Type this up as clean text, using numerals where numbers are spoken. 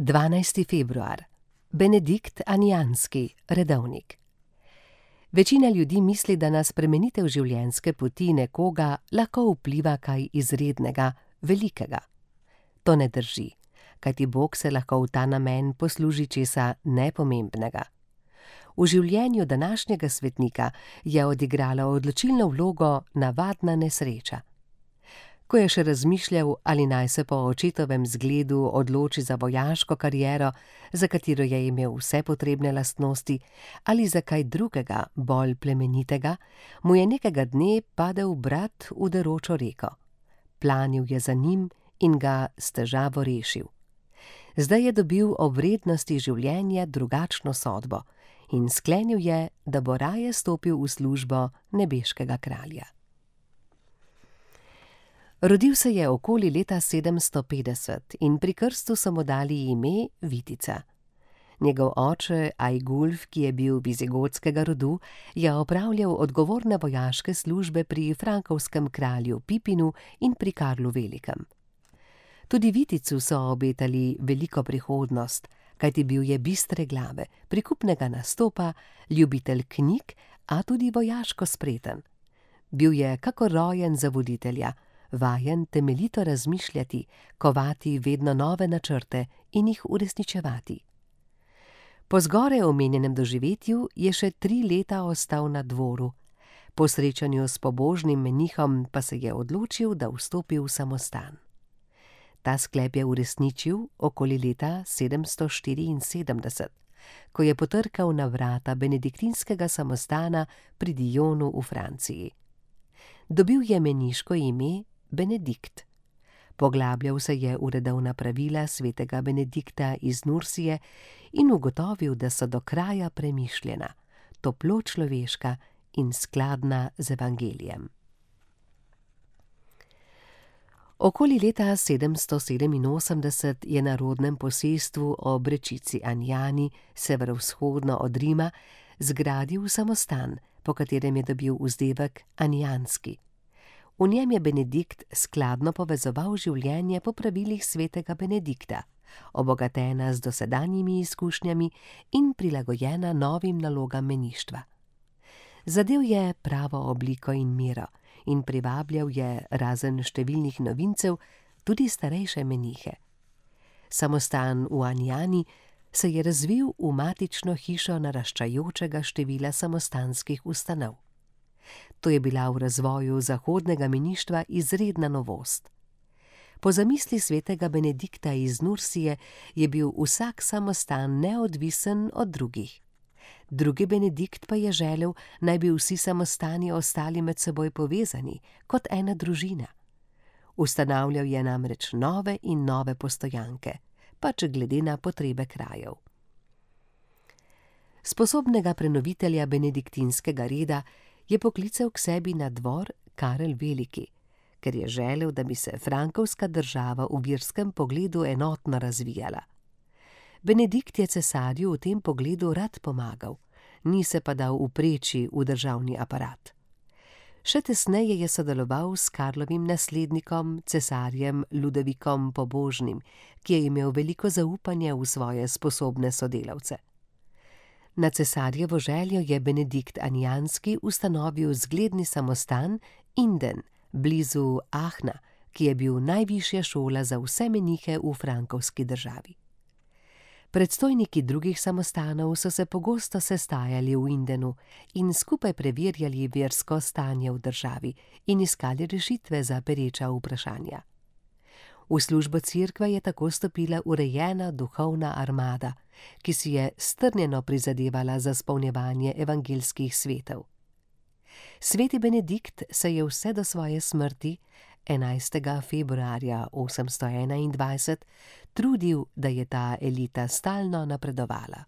12. februar. Benedikt Anijanski, redovnik. Večina ljudi misli, da na spremenitev življenjske poti nekoga lahko vpliva kaj izrednega, velikega. To ne drži, kajti Bog se lahko v ta namen posluži česa nepomembnega. V življenju današnjega svetnika je odigrala odločilno vlogo navadna nesreča. Ko je še razmišljal, ali naj se po očetovem zgledu odloči za vojaško kariero, za katero je imel vse potrebne lastnosti, ali za kaj drugega, bolj plemenitega, mu je nekega dne padel brat v deročo reko. Planil je za njim in ga s težavo rešil. Zdaj je dobil o vrednosti življenja drugačno sodbo in sklenil je, da bo raje stopil v službo nebeškega kralja. Rodil se je okoli leta 750 in pri krstu so mu dali ime Vitica. Njegov oče Ajgulf, ki je bil vizigotskega rodu, je opravljal odgovorne vojaške službe pri frankovskem kralju Pipinu in pri Karlu Velikem. Tudi Viticu so obetali veliko prihodnost, kajti bil je bistre glave, prikupnega nastopa, ljubitelj knjig, a tudi vojaško spreten. Bil je kakor rojen za voditelja, vajen temeljito razmišljati, kovati vedno nove načrte in jih uresničevati. Po zgoraj omenjenem doživetju je še 3 leta ostal na dvoru. Po srečanju s pobožnim menihom pa se je odločil, da vstopi v samostan. Ta sklep je uresničil okoli leta 774, ko je potrkal na vrata benediktinskega samostana pri Dijonu v Franciji. Dobil je meniško ime Benedikt. Poglabljal se je v redovna pravila svetega Benedikta iz Nursije in ugotovil, da so do kraja premišljena, toplo človeška in skladna z evangelijem. Okoli leta 787 je na rodnem posestvu ob rečici Anjani, severovzhodno od Rima, zgradil samostan, po katerem je dobil vzdevek Anijanski. V njem je Benedikt skladno povezoval življenje po pravilih svetega Benedikta, obogatena z dosedanjimi izkušnjami in prilagojena novim nalogam meništva. Zadel je pravo obliko in mero in privabljal je, razen številnih novincev, tudi starejše menihe. Samostan v Anjani se je razvil v matično hišo naraščajočega števila samostanskih ustanov. To je bila v razvoju zahodnega meništva izredna novost. Po zamisli svetega Benedikta iz Nursije je bil vsak samostan neodvisen od drugih. Drugi Benedikt pa je želel, naj bi vsi samostani ostali med seboj povezani, kot ena družina. Ustanavljal je namreč nove in nove postojanke, pač glede na potrebe krajev. Sposobnega prenovitelja benediktinskega reda je poklical k sebi na dvor Karel Veliki, ker je želel, da bi se frankovska država v verskem pogledu enotno razvijala. Benedikt je cesarju v tem pogledu rad pomagal, ni se pa dal upreči v državni aparat. Še tesneje je sodeloval s Karlovim naslednikom, cesarjem Ludovikom Pobožnim, ki je imel veliko zaupanja v svoje sposobne sodelavce. Na cesarjevo željo je Benedikt Anijanski ustanovil zgledni samostan Inden, blizu Ahna, ki je bil najvišja šola za vse menihe v frankovski državi. Predstojniki drugih samostanov so se pogosto sestajali v Indenu in skupaj preverjali versko stanje v državi in iskali rešitve za pereča vprašanja. V službo cerkve je tako stopila urejena duhovna armada, ki si je strnjeno prizadevala za izpolnjevanje evangeljskih svetov. Sveti Benedikt se je vse do svoje smrti 11. februarja 821 trudil, da je ta elita stalno napredovala.